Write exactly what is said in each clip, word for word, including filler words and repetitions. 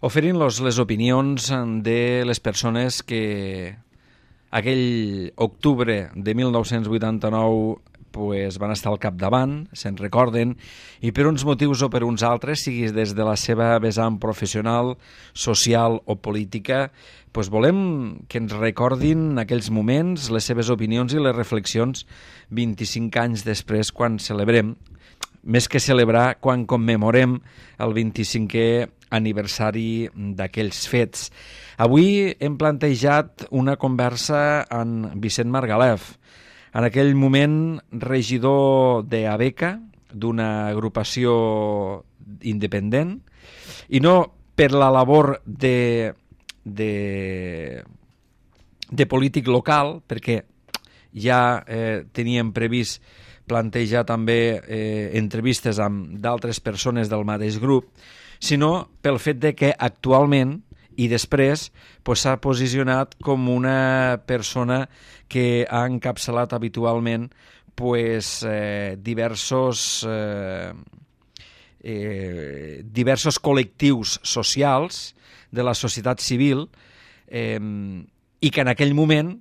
oferint-los les opinions de les persones que aquell octubre de mil nou-cents vuitanta-nou pues, van estar al capdavant, se'n recorden, i per uns motius o per uns altres, sigui des de la seva vessant professional, social o política, pues, volem que ens recordin aquells moments, les seves opinions i les reflexions vint-i-cinc anys després, quan celebrem, més que celebrar, quan commemorem el vint-i-cinquè aniversari d'aquells fets. Avui hem plantejat una conversa amb Vicent Margalef, en aquell moment regidor d'Abeca, d'una agrupació independent, i no per la labor de, de, de polític local, perquè ja eh, teníem previst plantejar també eh, entrevistes amb d'altres persones del mateix grup, sinó pel fet de que actualment i després pues, s'ha posicionat com una persona que ha encapçalat habitualment pues, eh, diversos, eh, eh, diversos col·lectius socials de la societat civil eh, i que en aquell moment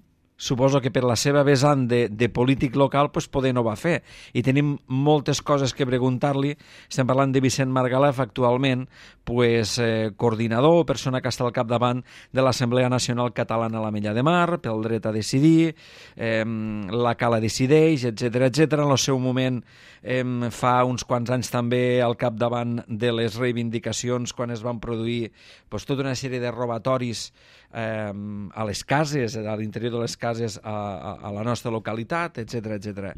suposo que per la seva vessant de, de polític local pues, poder no va fer. I tenim moltes coses que preguntar-li. Estem parlant de Vicent Margalef, actualment pues, eh, coordinador, persona que està al capdavant de l'Assemblea Nacional Catalana a l'Ametlla de Mar, pel dret a decidir, eh, la Cala decideix, etcètera etcètera. En el seu moment, eh, fa uns quants anys també al capdavant de les reivindicacions quan es van produir pues, tota una sèrie de robatoris eh, a les cases, a l'interior de les cases a, a, a la nostra localitat, etcètera etcètera.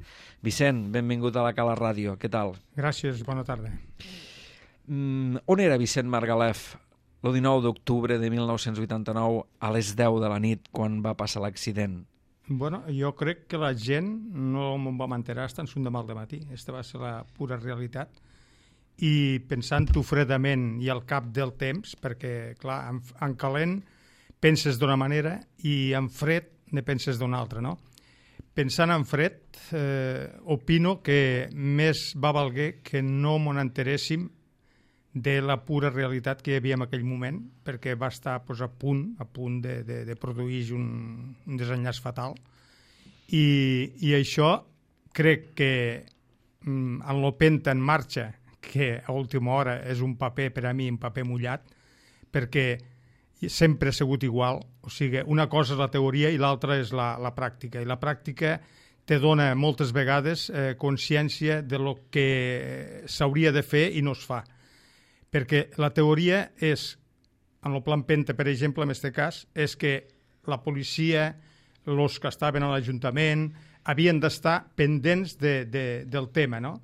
Vicent, benvingut a la Cala Ràdio, què tal? Gràcies, bona tarda. Mm, on era Vicent Margalef el dinou d'octubre de mil nou-cents vuitanta-nou a les deu de la nit quan va passar l'accident? Bueno, jo crec que la gent no me'n vam enterar fins un demà al matí. Aquesta va ser la pura realitat. I pensant-ho fredament i al cap del temps, perquè, clar, en, en calent penses d'una manera i en fred ne penses d'una altra, no? Pensant en fred, eh, opino que més va valguer que no m'ho enteréssim de la pura realitat que hi havia en aquell moment, perquè va estar pues, a punt a punt de, de, de produir un, un desenllaç fatal. I, i això crec que mm, en l'Openta en marxa, que a última hora és un paper per a mi, un paper mullat, perquè sempre ha sigut igual, o sigui, una cosa és la teoria i l'altra és la, la pràctica, i la pràctica te dona moltes vegades eh, consciència de lo que s'hauria de fer i no es fa. Perquè la teoria és, en el plan Penta, per exemple, en aquest cas, és que la policia, els que estaven a l'Ajuntament, havien d'estar pendents de, de, del tema, no?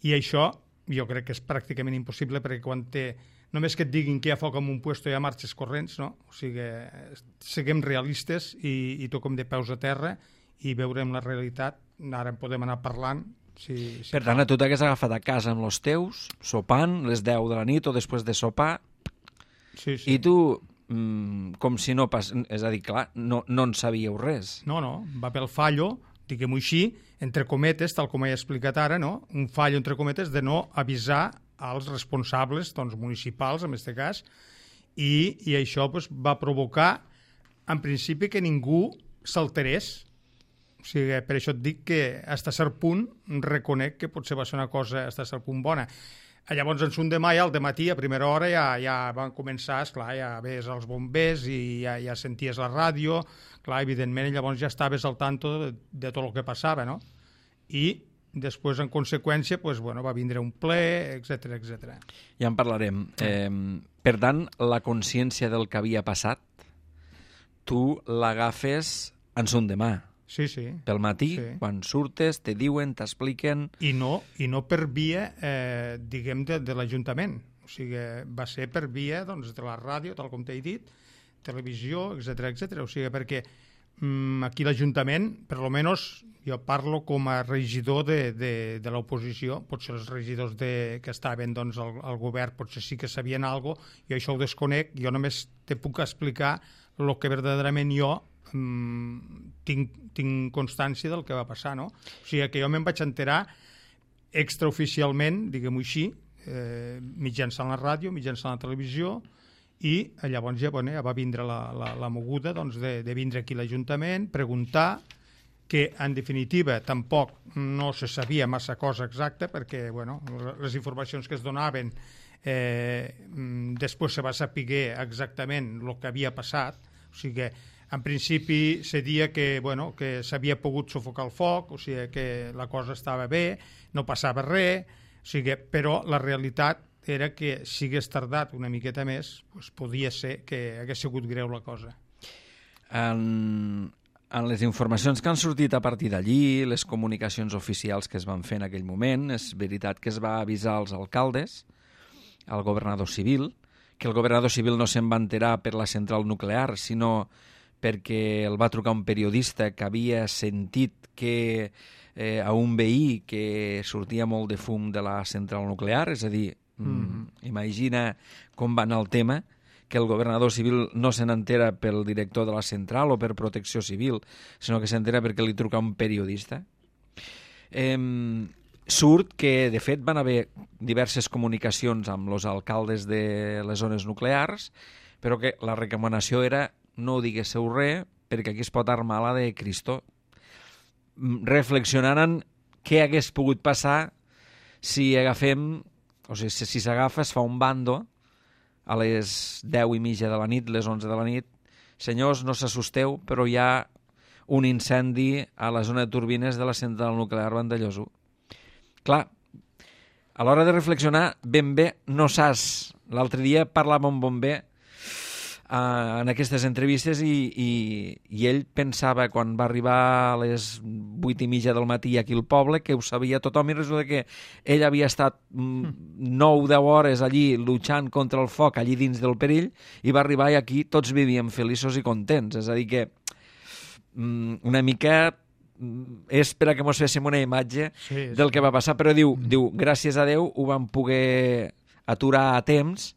I això jo crec que és pràcticament impossible, perquè quan té només que et diguin que hi ha foc en un puesto hi ha marxes corrents, no? O sigui, siguem realistes i, i toquem de peus a terra i veurem la realitat. Ara en podem anar parlant. Si, si per tant, a tu t'hagués agafat a casa amb els teus, sopant, les deu de la nit o després de sopar, sí, sí. I tu, mmm, com si no pas... És a dir, clar, no, no en sabíeu res. No, no, va pel fallo, diguem-ho així, entre cometes, tal com he explicat ara, no? Un fallo, entre cometes, de no avisar als responsables doncs, municipals, en aquest cas, i, i això doncs, va provocar, en principi, que ningú s'alterés. O sigui, per això et dic que, fins a cert punt, reconec que potser va ser una cosa, fins a cert punt, bona. Llavors, en un demà, ja, al dematí, a primera hora, ja, ja van començar, esclar, ja ves els bombers i ja, ja senties la ràdio, clar, evidentment, llavors ja estaves al tanto de, de tot el que passava, no? I després, en conseqüència, pues, bueno, va vindre un ple, etcètera, etcètera. Ja en parlarem. Eh, per tant, la consciència del que havia passat, tu l'agafes en son demà. Sí, sí. Pel matí, sí. Quan surtes, te diuen, t'expliquen... I no, i no per via, eh, diguem, de, de l'Ajuntament. O sigui, va ser per via doncs, de la ràdio, tal com t'he dit, televisió, etcètera, etcètera. O sigui, perquè mm, aquí l'Ajuntament, per lo menos, jo parlo com a regidor de, de, de l'oposició, potser els regidors de, que estaven doncs, al, al govern potser sí que sabien alguna cosa, jo això ho desconec, jo només te puc explicar el que verdaderament jo mm, tinc, tinc constància del que va passar, no? O sigui que jo me'n vaig enterar extraoficialment, diguem-ho així, eh, mitjançant la ràdio, mitjançant la televisió, i llavors ja, bueno, ja va vindre la, la, la moguda doncs, de, de vindre aquí a l'Ajuntament, preguntar, que en definitiva tampoc no se sabia massa cosa exacta perquè bueno, les informacions que es donaven eh, després se va saber exactament el que havia passat, o sigui, en principi se dia que, bueno, que s'havia pogut sufocar el foc, o sigui que la cosa estava bé, no passava res, o sigui, però la realitat era que si hagués tardat una miqueta més, doncs podia ser que hagués sigut greu la cosa. En, en les informacions que han sortit a partir d'allí, les comunicacions oficials que es van fer en aquell moment, és veritat que es va avisar als alcaldes, al governador civil, que el governador civil no se'n va enterar per la central nuclear, sinó perquè el va trucar un periodista que havia sentit que eh, a un veí que sortia molt de fum de la central nuclear, és a dir, mm. imagina com va anar el tema, que el governador civil no se n'entera pel director de la central o per protecció civil, sinó que s'entera perquè li truca un periodista. Eh, surt que, de fet, van haver diverses comunicacions amb els alcaldes de les zones nuclears, però que la recomanació era no diguéssiu res perquè aquí es pot armar la de Cristo. Reflexionant què hagués pogut passar si agafem, o sigui, si s'agafa, es fa un bando a les deu i mitja de la nit, les onze de la nit. Senyors, no s'assusteu, però hi ha un incendi a la zona de turbines de la central nuclear Vandellòs. Clar, a l'hora de reflexionar, ben bé no saps. L'altre dia parlava amb bomber uh, en aquestes entrevistes i, i, i ell pensava, quan va arribar a les vuit i mitja del matí aquí al poble, que ho sabia tothom, i resulta que ell havia estat nou o deu hores allí lluitant contra el foc, allí dins del perill, i va arribar i aquí tots vivíem feliços i contents. És a dir que um, una mica és per a que mos féssim una imatge sí, sí. del que va passar, però diu, mm. diu, gràcies a Déu ho vam poder aturar a temps.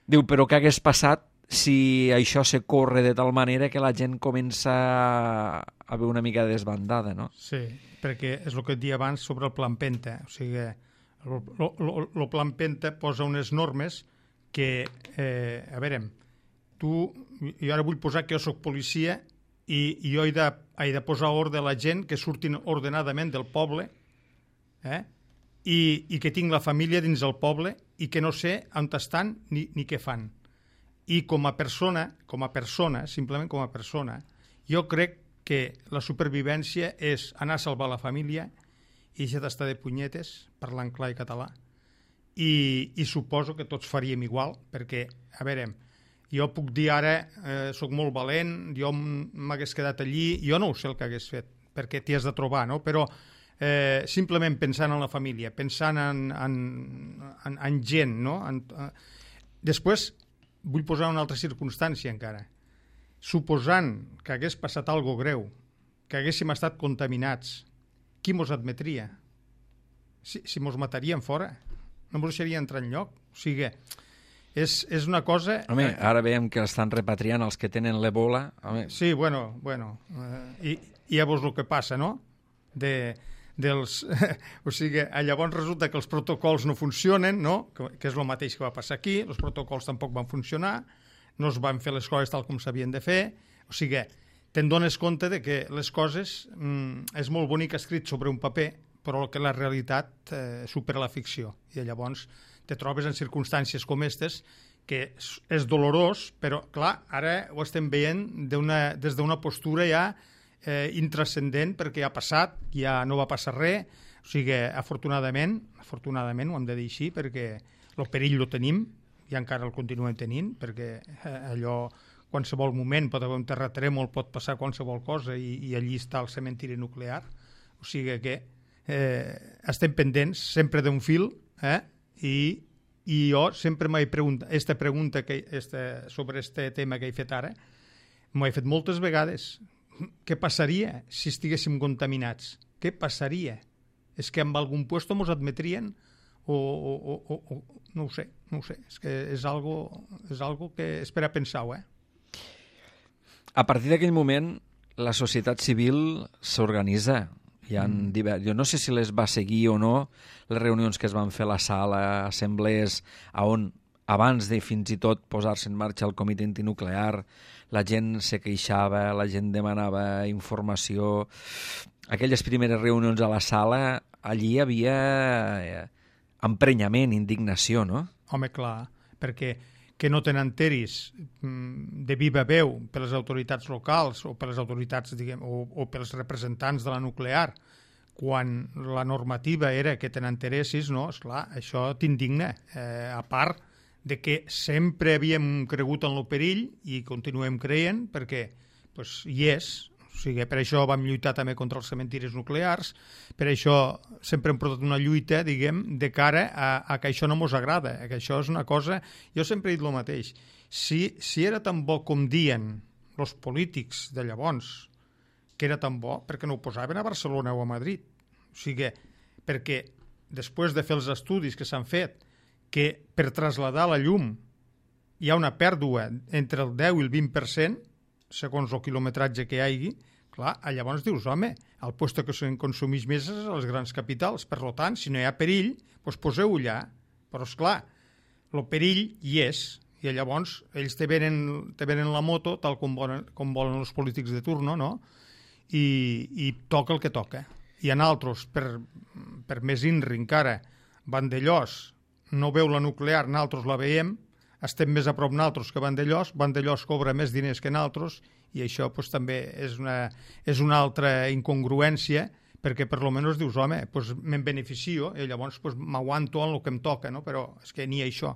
Diu, però què hagués passat si això se corre de tal manera que la gent comença a haver una mica desbandada, no? Sí, perquè és el que et dia abans sobre el Plan Penta. O sigui, el Plan Penta posa unes normes que, eh, a veure, tu, jo ara vull posar que jo soc policia i, i jo he de, he de posar ordre a la gent que surtin ordenadament del poble eh? I, i que tinc la família dins del poble i que no sé on estan ni, ni què fan. I com a persona, com a persona, simplement com a persona, jo crec que la supervivència és anar a salvar la família i deixar d'estar de punyetes, parlant clar i català. I, i suposo que tots faríem igual, perquè, a veure, jo puc dir ara, eh, soc molt valent, jo m'hagués quedat allí, jo no ho sé el que hagués fet, perquè t'hi has de trobar, no? Però eh, simplement pensant en la família, pensant en, en, en, en gent, no? En, eh. Després, vull posar una altra circumstància encara. Suposant que hagués passat algo greu, que haguéssim estat contaminats, qui mos admetria? Si, si mos matarien fora, no mos deixaria entrar enlloc. O sigui, és, és una cosa... Home, ara veiem que estan repatriant els que tenen l'Ebola. Home. Sí, bueno, bueno. Eh, i, i llavors el que passa, no? De, dels, o sigui, llavors resulta que els protocols no funcionen, no? Que, que és el mateix que va passar aquí, els protocols tampoc van funcionar, no es van fer les coses tal com s'havien de fer, o sigui, te'n dones compte de que les coses mm, és molt bonic escrit sobre un paper, però que la realitat eh, supera la ficció, i llavors te trobes en circumstàncies com aquestes que és, és dolorós, però clar, ara ho estem veient d'una, des d'una postura ja eh, intrascendent, perquè ja ha passat, ja no va passar res, o sigui, afortunadament, afortunadament ho hem de dir així, perquè el perill lo tenim, i encara el continuem tenint, perquè eh, allò, qualsevol moment pot haver un terratrèmol, pot passar qualsevol cosa, i, i allí està el cementiri nuclear, o sigui que eh, estem pendents sempre d'un fil, eh? I, i jo sempre m'he preguntat, esta pregunta que, esta, sobre este tema que he fet ara, m'ho he fet moltes vegades. Què passaria si estiguéssim contaminats? Què passaria? És que en algun puesto mos admetrien? O, o, o, o, o no ho sé, no ho sé. És que és algo, és algo que és per a pensar-ho, eh? A partir d'aquell moment, la societat civil s'organitza. Hi ha mm. divers... Jo no sé si les va seguir o no les reunions que es van fer a la sala, assemblees, on abans de fins i tot posar-se en marxa el comitè antinuclear, la gent se queixava, la gent demanava informació. Aquelles primeres reunions a la sala, allí hi havia eh, emprenyament, indignació, no? Home, clar, perquè que no te n'enteris de viva veu per les autoritats locals o per les autoritats, diguem, o, o pels representants de la nuclear, quan la normativa era que te n'enteressis, no? Esclar, això t'indigna. Eh, a part de que sempre havíem cregut en el perill i continuem creient perquè pues, hi és. O sigui, per això vam lluitar també contra els cementiris nuclears, per això sempre hem portat una lluita, diguem, de cara a, a que això no mos agrada, que això és una cosa... Jo sempre he dit el mateix. Si, si era tan bo com dien els polítics de llavors, que era tan bo, perquè no ho posaven a Barcelona o a Madrid? O sigui, perquè després de fer els estudis que s'han fet, que per traslladar la llum hi ha una pèrdua entre el deu i el vint per cent, segons el quilometratge que hi hagi, clar, llavors dius, home, el lloc que se'n consumeix més és als grans capitals, per tant, si no hi ha perill, doncs poseu-ho allà. Però, esclar, el perill hi és, i llavors ells te venen, te venen la moto, tal com volen, com volen els polítics de turno, no? I, i toca el que toca. I en altres, per, per més inri encara, Vandellós no veu la nuclear, nosaltres la veiem, estem més a prop nosaltres que Vandellós, Vandellós cobra més diners que nosaltres, i això pues, també és una, és una altra incongruència, perquè per lo menys dius, home, pues, me'n beneficio, i llavors pues, m'aguanto en el que em toca, no? Però és que ni això.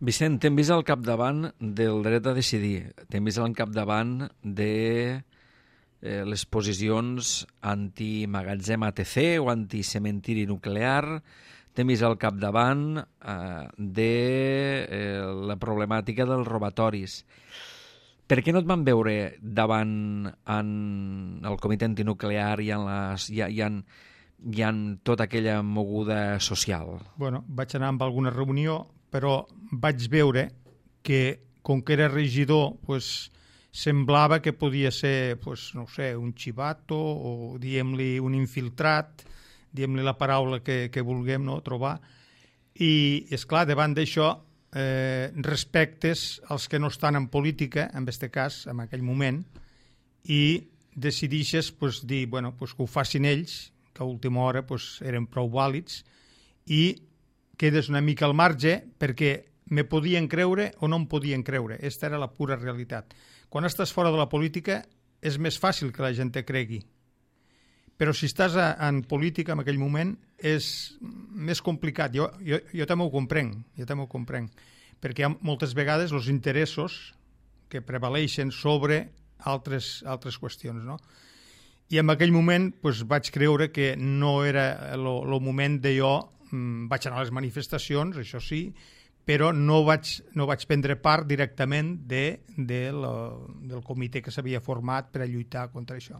Vicent, t'hem vist al capdavant del dret a decidir, t'hem vist al capdavant de eh, les posicions anti-magatzem A T C o anti-cementiri nuclear, t'hem vist al capdavant eh, de eh, la problemàtica dels robatoris. Per què no et van veure davant en el comitè antinuclear i en, les, i, i en, i en tota aquella moguda social? Bueno, vaig anar amb alguna reunió, però vaig veure que, com que era regidor, pues, semblava que podia ser, pues, no sé, un xivato o, diguem-li, un infiltrat, diguem-li la paraula que, que vulguem, no, trobar. I, és clar, davant d'això, eh, respectes als que no estan en política, en aquest cas, en aquell moment, i decidixes pues, dir bueno, pues, que ho facin ells, que a última hora pues, eren prou vàlids, i quedes una mica al marge perquè me podien creure o no em podien creure. Aquesta era la pura realitat. Quan estàs fora de la política és més fàcil que la gent te cregui. Però si estàs a, en política en aquell moment és més complicat. Jo, jo, jo també ho comprenc, jo també ho comprenc, perquè hi ha moltes vegades els interessos que prevaleixen sobre altres, altres qüestions, no? I en aquell moment pues, vaig creure que no era el moment de jo, mm, vaig anar a les manifestacions, això sí, però no vaig, no vaig prendre part directament de, de lo, del comitè que s'havia format per a lluitar contra això.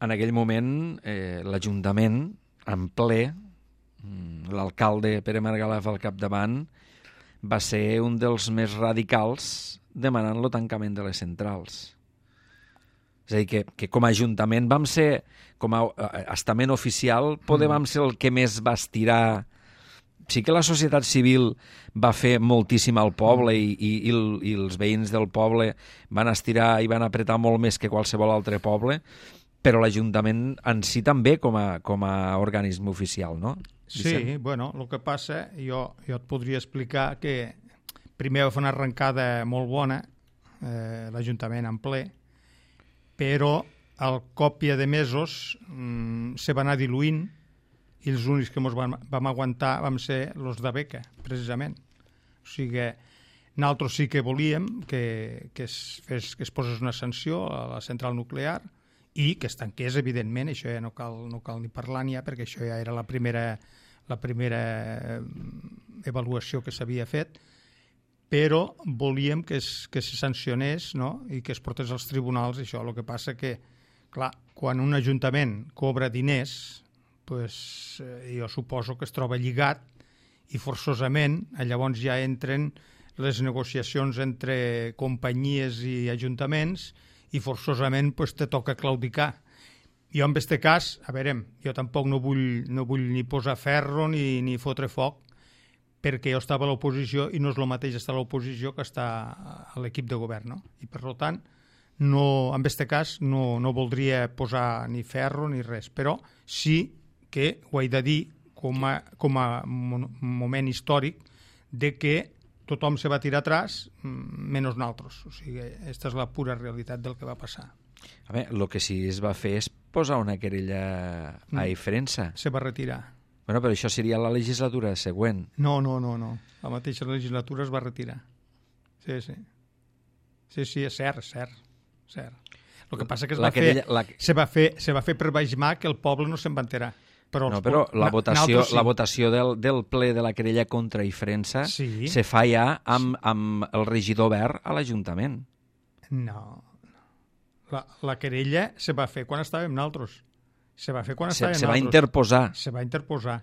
En aquell moment, eh, l'Ajuntament, en ple, l'alcalde Pere Margalef al capdavant, va ser un dels més radicals demanant el tancament de les centrals. És a dir, que, que com a Ajuntament vam ser, com a estament oficial, poder vam ser el que més va estirar. Sí que la societat civil va fer moltíssim al poble i, i, i, i els veïns del poble van estirar i van apretar molt més que qualsevol altre poble, però l'Ajuntament en si també com a, com a organisme oficial, no? Vicent? Sí, bueno, el que passa, jo, jo et podria explicar que primer va fer una arrencada molt bona, eh, l'Ajuntament en ple, però al còpia de mesos mmm, se va anar diluint i els únics que ens vam, vam aguantar vam ser els de beca, precisament. O sigui, nosaltres sí que volíem que, que, es fes, que es posés una sanció a la central nuclear i que es tanqués, evidentment, això ja no cal, no cal ni parlar n'hi ha, perquè això ja era la primera, la primera avaluació que s'havia fet, però volíem que es, que se sancionés, no? I que es portés als tribunals, això. El que passa que, clar, quan un ajuntament cobra diners, pues, eh, jo suposo que es troba lligat i forçosament llavors ja entren les negociacions entre companyies i ajuntaments i forçosament pues, te toca claudicar. Jo en aquest cas, a veure, jo tampoc no vull, no vull ni posar ferro ni, ni fotre foc, perquè jo estava a l'oposició i no és el mateix estar a l'oposició que estar a l'equip de govern, no? I per tant, no, en aquest cas no, no voldria posar ni ferro ni res, però sí que ho he de dir com a, com a moment històric de que tothom se va tirar atrás menys nosaltres. O sigui, aquesta és la pura realitat del que va passar. A veure, el que sí es va fer és posar una querella a Ifrensa. Se va retirar. Bueno, però això seria la legislatura següent. No, no, no, no. La mateixa legislatura es va retirar. Sí, sí. Sí, sí, és cert, cert. cert. El que passa que es va, querella, fer, la... se va fer se va fer per baix mà que el poble no se'n va enterar. Però, no, però la votació, sí. la votació del, del ple de la querella contra Ifrensa sí. se fa ja amb, amb el regidor verd a l'Ajuntament. No. La, la querella se va fer quan estàvem nosaltres. Se va fer quan estàvem se, nosaltres. Se va interposar. Se va interposar.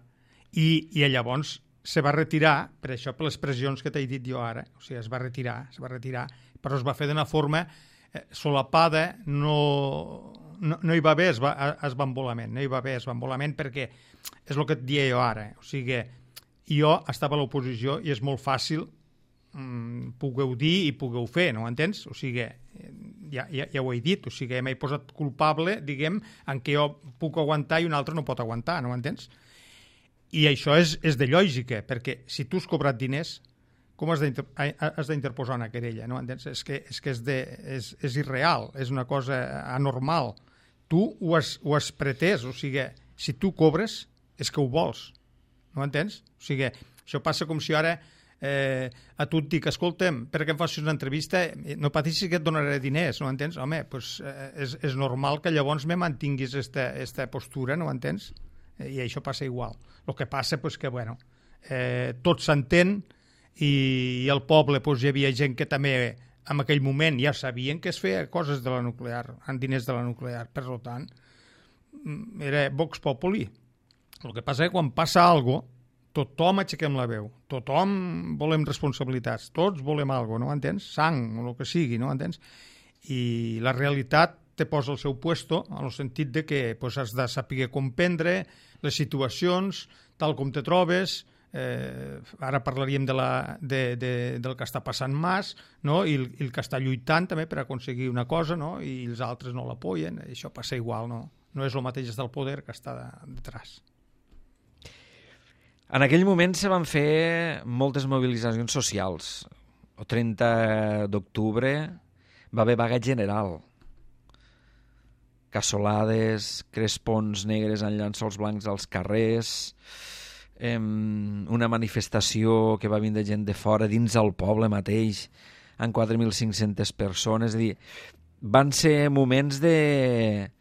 I, i llavors se va retirar, per això per les pressions que t'he dit jo ara, o sigui, es va retirar, es va retirar, però es va fer d'una forma eh, solapada, no... No, no hi va haver es va, esbambolament, no hi va haver esbambolament perquè és el que et dia jo ara. O sigui, jo estava a l'oposició i és molt fàcil mm, pugueu dir i pugueu fer, no ho entens? O sigui, ja, ja, ja ho he dit, o sigui, m'he posat culpable, diguem, en què jo puc aguantar i un altre no pot aguantar, no ho entens? I això és, és de lògica, perquè si tu has cobrat diners, com has d'interposar una querella, no entens? És que és, que és, de, és, és irreal, és una cosa anormal. Tu ho has, ho has pretès, o sigui, si tu cobres és que ho vols, no entens? O sigui, això passa com si ara eh, a tu et dic, escolta'm, perquè em facis una entrevista, no patissis que et donaré diners, no entens? Home, pues, eh, és, és normal que llavors me mantinguis esta postura, no entens? I això passa igual. El que passa és pues, que, bueno, eh, tot s'entén i, i al poble pues, hi havia gent que també en aquell moment ja sabien que es feia coses de la nuclear, amb diners de la nuclear, per tant, era Vox Populi. El que passa és que quan passa alguna cosa, tothom aixequem la veu, tothom volem responsabilitats, tots volem alguna cosa, no entens? Sang, o el que sigui, no entens? I la realitat te posa al seu puesto, en el sentit de que pues, has de saber comprendre les situacions, tal com te trobes. Eh, ara parlaríem de la, de, de, del que està passant Mas, no? I, el, i el que està lluitant també per aconseguir una cosa, no? I els altres no l'apoyen, això passa igual, no? No és el mateix del poder que està detrás. En aquell moment se van fer moltes mobilitzacions socials. El trenta d'octubre va haver vaga general. Cassolades, crespons negres en llençols blancs als carrers, una manifestació que va vindre gent de fora dins el poble mateix amb quatre mil cinc-centes persones. És a dir, van ser moments de...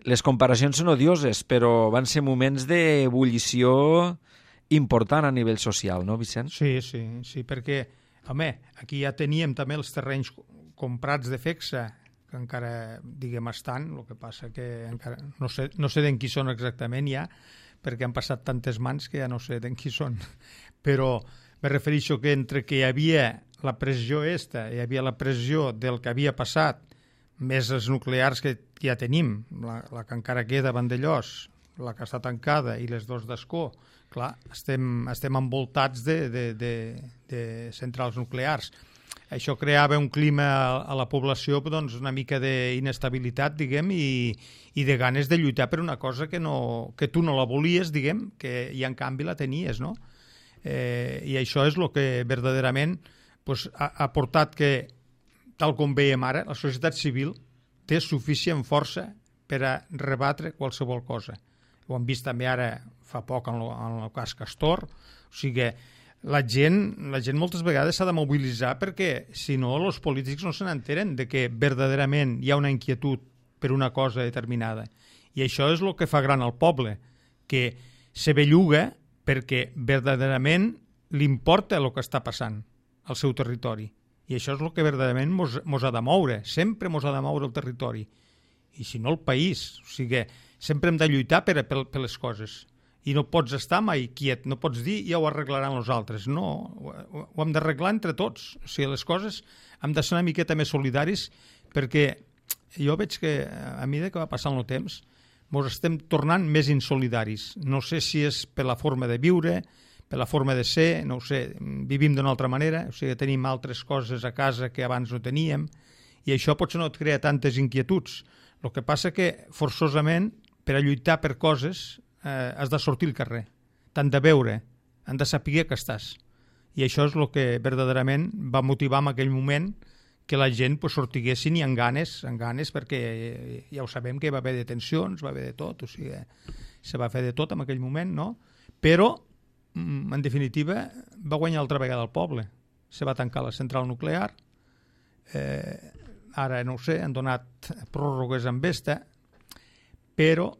Les comparacions són odioses, però van ser moments d'ebullició important a nivell social, no, Vicent? Sí, sí, sí, perquè, home, aquí ja teníem també els terrenys comprats de Fexa, que encara, diguem, estan, el que passa que encara no sé, no sé d'en qui són exactament ja, perquè han passat tantes mans que ja no sé d'en qui són. Però me refereixo que entre que hi havia la pressió esta, hi havia la pressió del que havia passat, més els nuclears que ja tenim, la, la que encara queda a Vandellós, la que està tancada i les dos d'Ascó, clar, estem, estem envoltats de, de, de, de centrals nuclears. Això creava un clima a la població, doncs, una mica d'inestabilitat, diguem, i, i de ganes de lluitar per una cosa que, no, que tu no la volies, diguem, que i en canvi la tenies, no? Eh, I això és el que verdaderament pues, ha, ha portat que, tal com veiem ara, la societat civil té suficient força per a rebatre qualsevol cosa. Ho hem vist també ara fa poc en el, en el cas Castor, o sigui, la gent, la gent moltes vegades s'ha de mobilitzar perquè, si no, els polítics no se n'enteren de que verdaderament hi ha una inquietud per una cosa determinada. I això és el que fa gran al poble, que se belluga perquè verdaderament li importa el que està passant al seu territori. I això és el que verdaderament mos, mos ha de moure, sempre mos ha de moure el territori. I si no el país, o sigui, sempre hem de lluitar per, per, per les coses. I no pots estar mai quiet, no pots dir ja ho arreglaran els altres. No, ho, ho hem d'arreglar entre tots. O sigui, les coses hem de ser una miqueta més solidaris perquè jo veig que a mesura que va passant el temps ens estem tornant més insolidaris. No sé si és per la forma de viure, per la forma de ser, no ho sé, vivim d'una altra manera, o sigui, tenim altres coses a casa que abans no teníem, i això potser no et crea tantes inquietuds. El que passa que, forçosament, per a lluitar per coses, eh, has de sortir al carrer, t'han de veure, han de saber que estàs. I això és el que verdaderament va motivar en aquell moment que la gent pues, sortiguessin i amb ganes, amb ganes, perquè ja ho sabem que va haver detencions, va haver de tot, o sigui, se va fer de tot en aquell moment, no? Però, en definitiva, va guanyar altra vegada el poble. Se va tancar la central nuclear, eh, ara no ho sé, han donat pròrrogues amb esta, però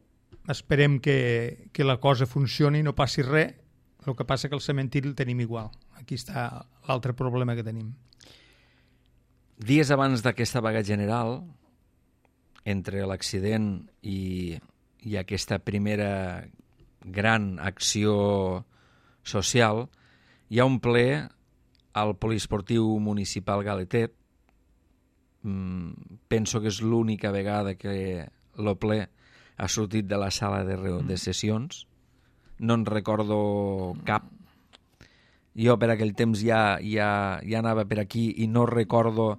esperem que, que la cosa funcioni i no passi res. El que passa que el cementiri el tenim igual. Aquí està l'altre problema que tenim. Dies abans d'aquesta vaga general, entre l'accident i, i aquesta primera gran acció social, hi ha un ple al poliesportiu municipal Galetet. Mm, penso que és l'única vegada que el ple ha sortit de la sala de, de sessions. No en recordo cap. Jo per aquell temps ja, ja, ja anava per aquí i no recordo,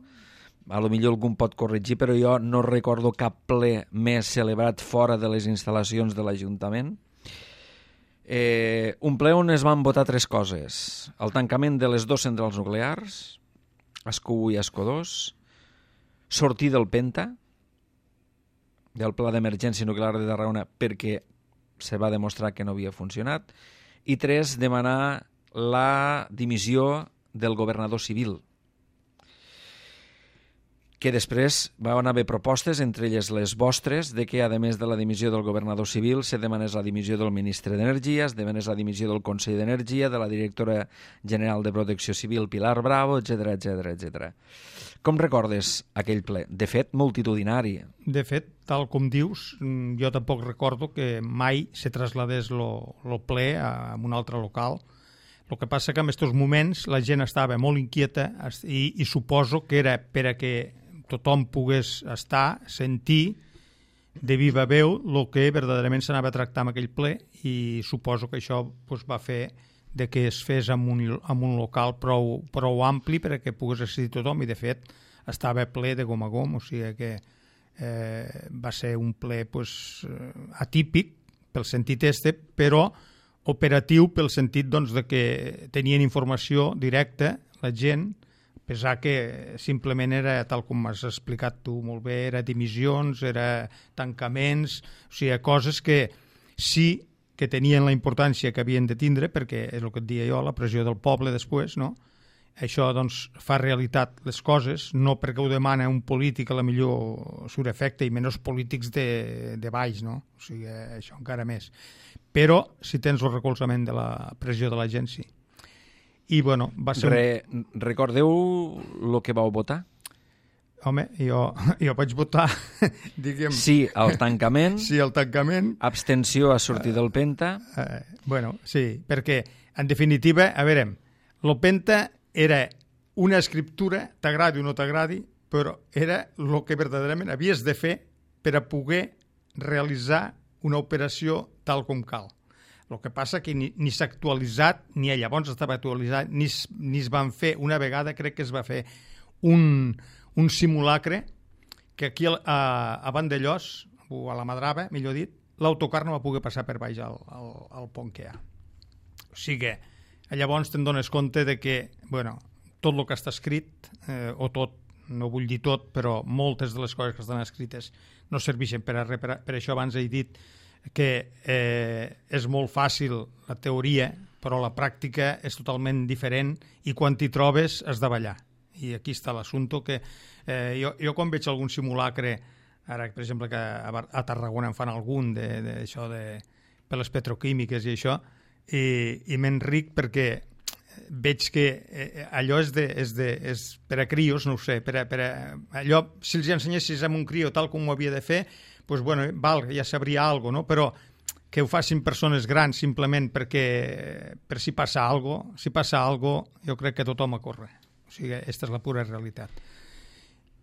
a lo millor algú pot corregir, però jo no recordo cap ple més celebrat fora de les instal·lacions de l'Ajuntament. Eh, un ple on es van votar tres coses. El tancament de les dues centrals nuclears, Ascó u i Ascó dos, sortir del Penta, del Pla d'Emergència Nuclear de Tarragona, perquè se va demostrar que no havia funcionat, i tres, demanar la dimissió del governador civil, que després van haver propostes, entre elles les vostres, de que, a més de la dimissió del governador civil, se demanés la dimissió del ministre d'Energia, es demanés la dimissió del Consell d'Energia, de la directora general de Protecció Civil, Pilar Bravo, etcètera, etcètera, etcètera. Com recordes aquell ple? De fet, multitudinari. De fet, tal com dius, jo tampoc recordo que mai se trasladés el ple a un altre local. El que passa que en aquests moments la gent estava molt inquieta i, i suposo que era per a que tothom pogués estar, sentir de viva veu el que verdaderament s'anava a tractar en aquell ple, i suposo que això pues, va fer de que es fes en un, en un local prou, prou ampli perquè pogués assistir tothom, i de fet estava ple de gom a gom, o sigui que eh, va ser un ple pues, atípic pel sentit este, però operatiu pel sentit doncs, de que tenien informació directa la gent, a pesar que simplement era, tal com has explicat tu molt bé, era dimissions, era tancaments, o sigui, coses que sí que tenien la importància que havien de tindre, perquè és el que et deia jo, la pressió del poble després, no? Això doncs, fa realitat les coses, no perquè ho demana un polític, a la millor surt efecte, i menys polítics de, de baix, no? O sigui, això encara més. Però si tens el recolzament de la pressió de la gent, sí. I, bueno, va ser... Re, recordeu el que vau votar? Home, jo, jo vaig votar, diguem... Sí, al tancament. Sí, al tancament. Abstenció a sortir del Penta. Uh, uh, bueno, sí, perquè, en definitiva, a veure, el Penta era una escriptura, t'agradi o no t'agradi, però era el que verdaderament havies de fer per a poder realitzar una operació tal com cal. El que passa que ni, ni s'ha actualitzat, ni llavors estava actualitzat, ni, ni es van fer, una vegada crec que es va fer un, un simulacre que aquí a, a Vandellós, o a la Madrava, millor dit, l'autocar no va poder passar per baix al, al, al pont que hi ha. O sigui, llavors te'n dones compte de que, bueno, tot el que està escrit, eh, o tot, no vull dir tot, però moltes de les coses que estan escrites no serveixen per a res. Per, per això abans he dit que eh, és molt fàcil la teoria, però la pràctica és totalment diferent, i quan t'hi trobes has de ballar. I aquí està l'assumpte, que eh, jo, jo quan veig algun simulacre, ara per exemple que a, a Tarragona en fan algun de, de, això de, per les petroquímiques i això, i, i m'enric perquè veig que eh, allò és, de, és, de, és per a crios, no ho sé, per a, per a, allò, si els ensenyessis a un crio tal com ho havia de fer, pues bueno, val, ja sabria alguna cosa, no? Però que ho facin persones grans simplement perquè per si passa alguna cosa, si passa alguna cosa, jo crec que tothom a córrer. O sigui, aquesta és la pura realitat.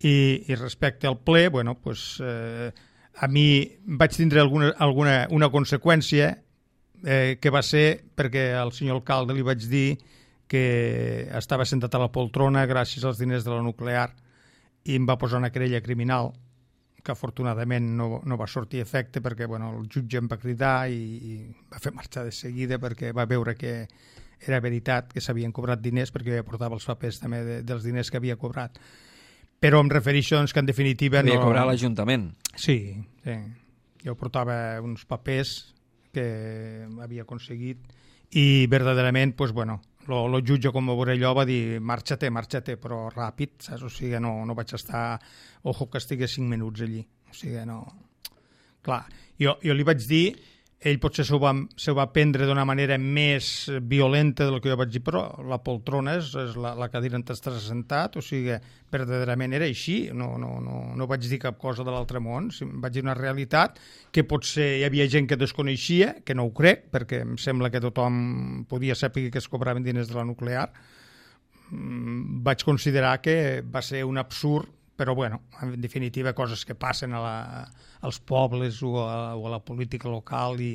I, i respecte al ple, bueno, pues, eh, a mi vaig tindre alguna, alguna una conseqüència eh, que va ser perquè al senyor alcalde li vaig dir que estava sentat a la poltrona gràcies als diners de la nuclear i em va posar una querella criminal que afortunadament no, no va sortir a efecte perquè bueno, el jutge em va cridar i, i va fer marxar de seguida perquè va veure que era veritat, que s'havien cobrat diners perquè jo portava els papers també de, dels diners que havia cobrat. Però em refereixo doncs, que en definitiva... Havia no... cobrat l'Ajuntament. Sí, sí. Jo portava uns papers que havia aconseguit i verdaderament, pues, bueno, el jutge, com ho veuré allò, va dir marxa-te, marxa-te, però ràpid, saps? O sigui, no, no vaig estar... Ojo que estigués cinc minuts allí. O sigui, no... Clar, jo, jo li vaig dir, ell potser s'ho va, s'ho va prendre d'una manera més violenta del que jo vaig dir, però la poltrona és, és la, la cadira on estàs assentat, o sigui, verdaderament era així, no, no, no, no vaig dir cap cosa de l'altre món, vaig dir una realitat que potser hi havia gent que desconeixia, que no ho crec, perquè em sembla que tothom podia saber que es cobraven diners de la nuclear. Vaig considerar que va ser un absurd, però bueno, en definitiva coses que passen a la, als pobles o a, o a la política local i,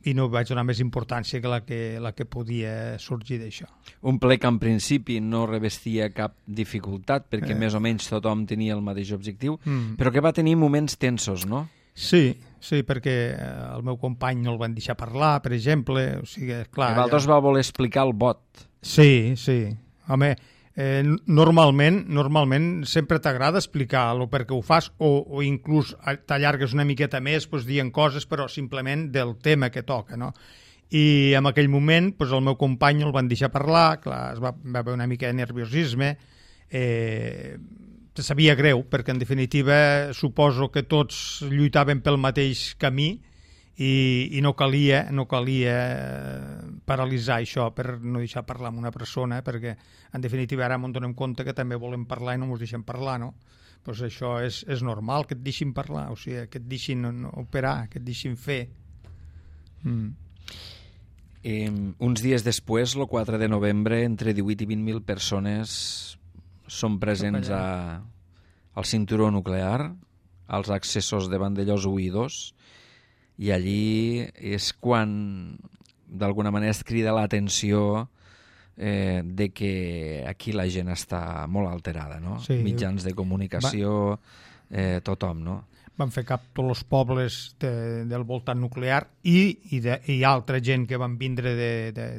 i no vaig donar més importància que la que, la que podia sorgir d'això. Un ple que en principi no revestia cap dificultat perquè eh. més o menys tothom tenia el mateix objectiu, mm. però que va tenir moments tensos, no? Sí, sí, perquè el meu company no el van deixar parlar, per exemple, o sigui, clar... Que Valdos ja... va voler explicar el vot. Sí, sí, home... Eh, normalment, normalment sempre t'agrada explicar el per què ho fas o, o inclús t'allargues una miqueta més pues, dient coses però simplement del tema que toca, no? I en aquell moment pues, el meu company el van deixar parlar, clar, es va, va haver una mica de nerviosisme, eh, te sabia greu perquè en definitiva suposo que tots lluitaven pel mateix camí i, i no calia no calia paralitzar això per no deixar parlar amb una persona perquè en definitiva ara ens donem compte que també volem parlar i no ens deixem parlar, no? Pues això és, és normal que et deixin parlar, o sigui, que et deixin operar, que et deixin fer. Mm. Eh, uns dies després, el quatre de novembre, entre divuit i vint mil persones són presents a, al cinturó nuclear, als accessos de Vandellòs u i dos, i allí és quan d'alguna manera es crida l'atenció eh, de que aquí la gent està molt alterada, no? Sí. Mitjans de comunicació, eh, tothom, no? Van fer cap tots els pobles de, del voltant nuclear i, i, de, i altra gent que van vindre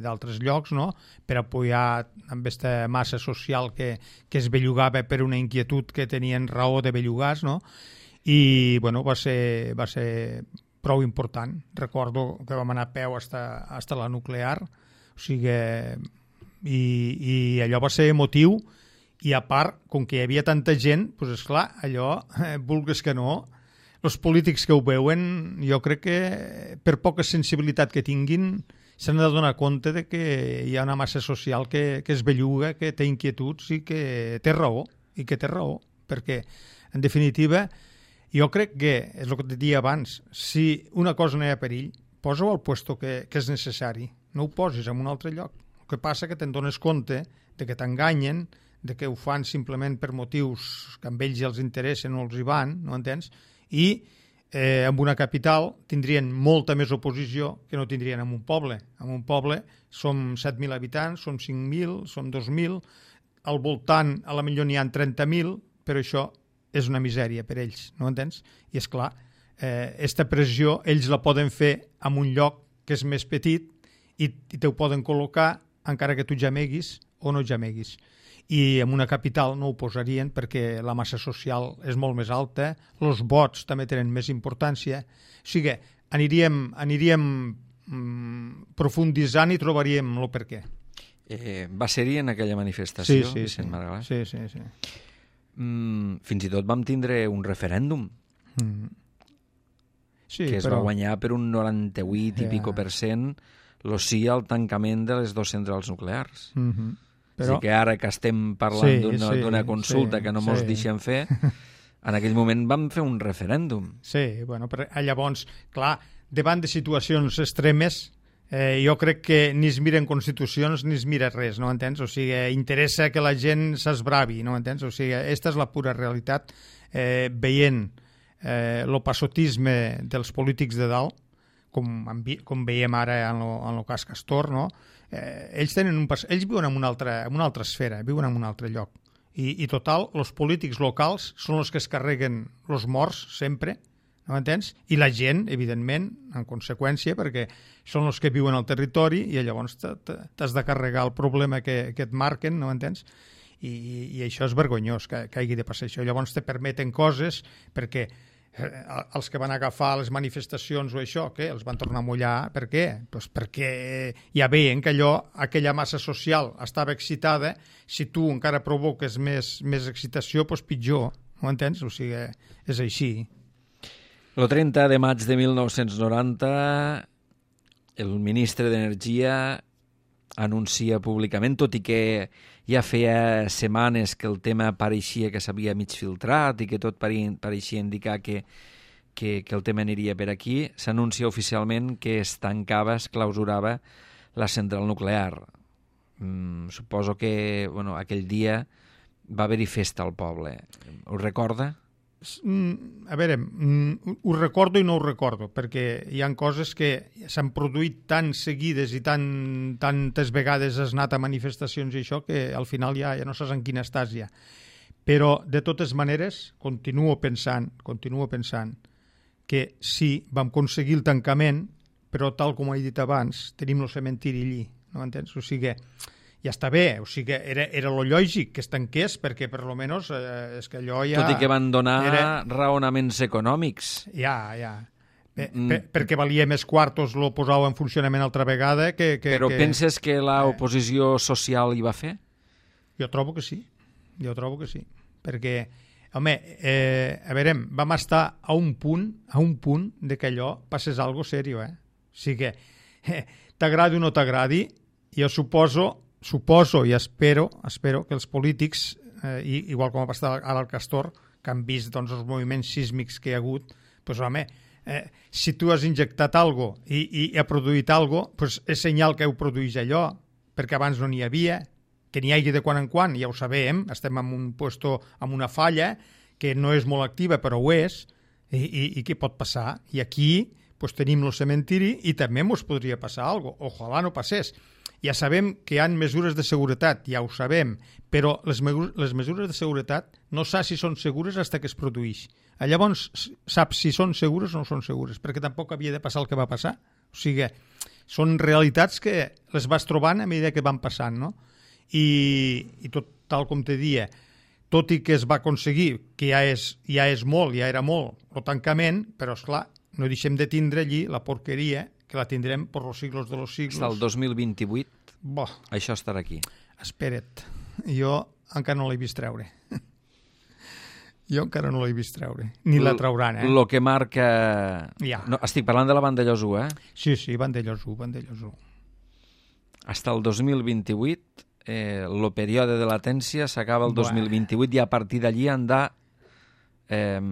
d'altres llocs, no? Per apoyar amb aquesta massa social que, que es bellugava per una inquietud que tenien raó de bellugar-se, no? I, bueno, va ser... Va ser prou important. Recordo que vam anar a peu hasta, hasta la nuclear, o sigui, i, i allò va ser emotiu, i a part, com que hi havia tanta gent, doncs esclar, allò, eh, vulguis que no, els polítics que ho veuen, jo crec que per poca sensibilitat que tinguin, s'han de donar compte de que hi ha una massa social que, que es belluga, que té inquietuds i que té raó, i que té raó, perquè, en definitiva, jo crec que, és el que et deia abans, si una cosa no hi ha perill, posa-ho al puesto que, que és necessari, no ho posis en un altre lloc. El que passa que te'n dones compte de que t'enganyen, de que ho fan simplement per motius que amb ells els interessen o els hi van, no entens? I eh, en una capital tindrien molta més oposició que no tindrien en un poble. En un poble som set mil habitants, som cinc mil, som dos mil, al voltant a la millor n'hi ha trenta mil, però això és una misèria per ells, no entens? I és clar, eh, esta pressió ells la poden fer en un lloc que és més petit i, i te ho poden col·locar encara que tu jameguis o no jameguis. I en una capital no ho posarien perquè la massa social és molt més alta, els vots també tenen més importància. O sigui, aniríem, aniríem mm, profunditzant i trobaríem el per què. Eh, va ser-hi en aquella manifestació, sí, sí, Vicent sí. Margalà? Sí, sí, sí. Mm, fins i tot vam tindre un referèndum mm. sí, que es però... va guanyar per un noranta-vuit i ja. pico per cent lo sí al tancament de les dues centrals nuclears. Mm-hmm. Però... Així que ara que estem parlant sí, d'una sí, consulta sí, que no mos sí. deixen fer, en aquell moment vam fer un referèndum. Sí, bueno, però llavors, clar, davant de situacions extremes, eh, jo crec que ni es miren constitucions ni es mira res, no entens? O sigui, interessa que la gent s'esbravi, no entens? O sigui, aquesta és la pura realitat, eh, veient eh, el passotisme dels polítics de dalt, com, com veiem ara en el cas Castor, no? eh, ells, tenen un, ells viuen en una, altra, en una altra esfera, viuen en un altre lloc. I, i total, els polítics locals són els que es carreguen els morts sempre, no m'entens? I la gent, evidentment, en conseqüència, perquè són els que viuen al territori i llavors t'has de carregar el problema que, que et marquen, no m'entens? I, i això és vergonyós, que, que hagi de passar això. Llavors te permeten coses perquè els que van agafar les manifestacions o això, què? Els van tornar a mullar. Per què? Pues perquè ja veien que allò, aquella massa social estava excitada. Si tu encara provoques més, més excitació, doncs pitjor, no entens? O sigui, és així. El trenta de maig de mil nou-cents noranta, el ministre d'Energia anuncia públicament, tot i que ja feia setmanes que el tema pareixia que s'havia mig filtrat i que tot pareixia indicar que, que, que el tema aniria per aquí, s'anuncia oficialment que es tancava, es clausurava la central nuclear. Mm, suposo que bueno, aquell dia va haver-hi festa al poble. Ho recorda? A veure, ho recordo i no ho recordo, perquè hi ha coses que s'han produït tan seguides i tan, tantes vegades has anat a manifestacions i això que al final ja, ja no saps en quina estàs ja. Però, de totes maneres, continuo pensant, continuo pensant que sí, vam aconseguir el tancament, però tal com he dit abans, tenim el cementiri allí, no m'entens? O sigui, ja està bé, o sigui, era, era lo lògic que es tanqués, perquè per lo menos eh, és que allò ja... Tot i que van donar era... raonaments econòmics. Ja, ja. Per, mm. per, perquè valia més quartos, lo posau en funcionament altra vegada que... que Però que... penses que l'oposició social hi va fer? Jo trobo que sí, jo trobo que sí. Perquè, home, eh, a veure, vam estar a un punt, a un punt de que allò passés algo serio, eh? O sigui que, eh, t'agradi o no t'agradi, jo suposo... Suposo i espero, espero que els polítics, eh, igual com ha passat ara al Castor, que han vist doncs, els moviments sísmics que hi ha hagut, doncs, home, eh, si tu has injectat algo i, i ha produït algo, doncs és senyal que heu produït allò, perquè abans no n'hi havia, que n'hi hagi de quan en quan, ja ho sabem, estem en un puesto, en una falla que no és molt activa, però ho és, i, i, i què pot passar? I aquí doncs, tenim el cementiri i també ens podria passar alguna cosa. Ojalà no passés. Ja sabem que hi ha mesures de seguretat, ja ho sabem, però les, les mesures de seguretat no saps si són segures fins que es produeix. Llavors saps si són segures o no són segures, perquè tampoc havia de passar el que va passar. O sigui, són realitats que les vas trobant a mesura que van passant, no? I, i tot tal com te dia, tot i que es va aconseguir, que ja és, ja és molt, ja era molt, el tancament, però esclar, no deixem de tindre allí la porqueria que la tindrem per los siglos de los siglos. Està el dos mil vint-i-vuit, Bo. Això estarà aquí. Espera't, jo encara no l'he vist treure. Jo encara no l'he vist treure, ni la trauran, eh? Lo que marca... Ja. No, estic parlant de la Vandellós u, eh? Sí, sí, Vandellós u, Vandellós u. Hasta el dos mil vint-i-vuit, eh, el període de latència s'acaba el dos mil vint-i-vuit i a partir d'allí han de eh,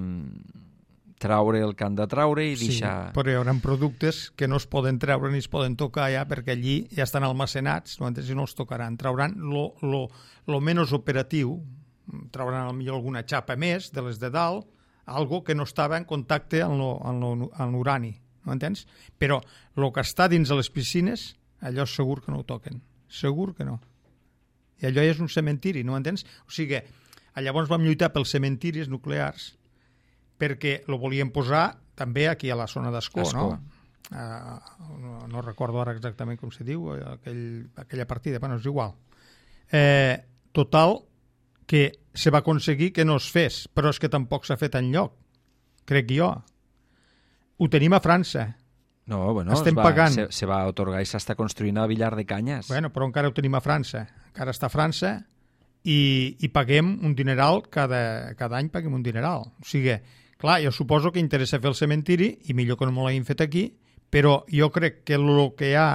traure el que han de traure i deixar... Sí, però hi haurà productes que no es poden treure ni es poden tocar ja perquè allí ja estan almacenats, no, si no els tocaran. Trauran lo, lo, lo menys operatiu, trauran potser alguna xapa més de les de dalt, algo que no estava en contacte amb l'urani, no entens? Però el que està dins de les piscines, allò segur que no ho toquen, segur que no. I allò és un cementiri, no entens? O sigui, llavors vam lluitar pels cementiris nuclears perquè lo volien posar també aquí a la zona d'Ascó, no? Uh, no? No recordo ara exactament com se diu, aquell, aquella partida, bueno, és igual. Eh, total, que se va aconseguir que no es fes, però és que tampoc s'ha fet enlloc, crec jo. Ho tenim a França. No, bueno, estem va, pagant. Se, se va atorgar i s'està construint a Villar de Canyes. Bueno, però encara ho tenim a França. Encara està a França i, i paguem un dineral, cada, cada any paguem un dineral. O sigui, clar, jo suposo que interessa fer el cementiri i millor que no me l'hagin fet aquí, però jo crec que el que hi ha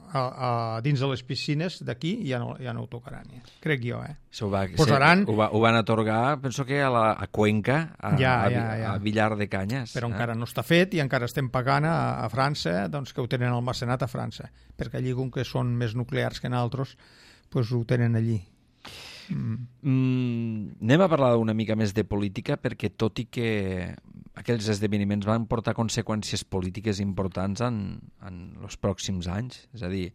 a, a, dins de les piscines d'aquí ja, no, ja no ho tocaran. Ja. Crec jo, eh? Ho, va, Posaran... se, ho, va, ho van atorgar, penso que a, la, a Cuenca, a, ja, a, ja, ja. a Villar de Canyes. Però eh? encara no està fet i encara estem pagant a, a França, doncs que ho tenen almacenat a França, perquè allí, com que són més nuclears que nosaltres, doncs ho tenen allí. Mm. Mm, anem a parlar una mica més de política, perquè tot i que aquells esdeveniments van portar conseqüències polítiques importants en, en els pròxims anys. És a dir,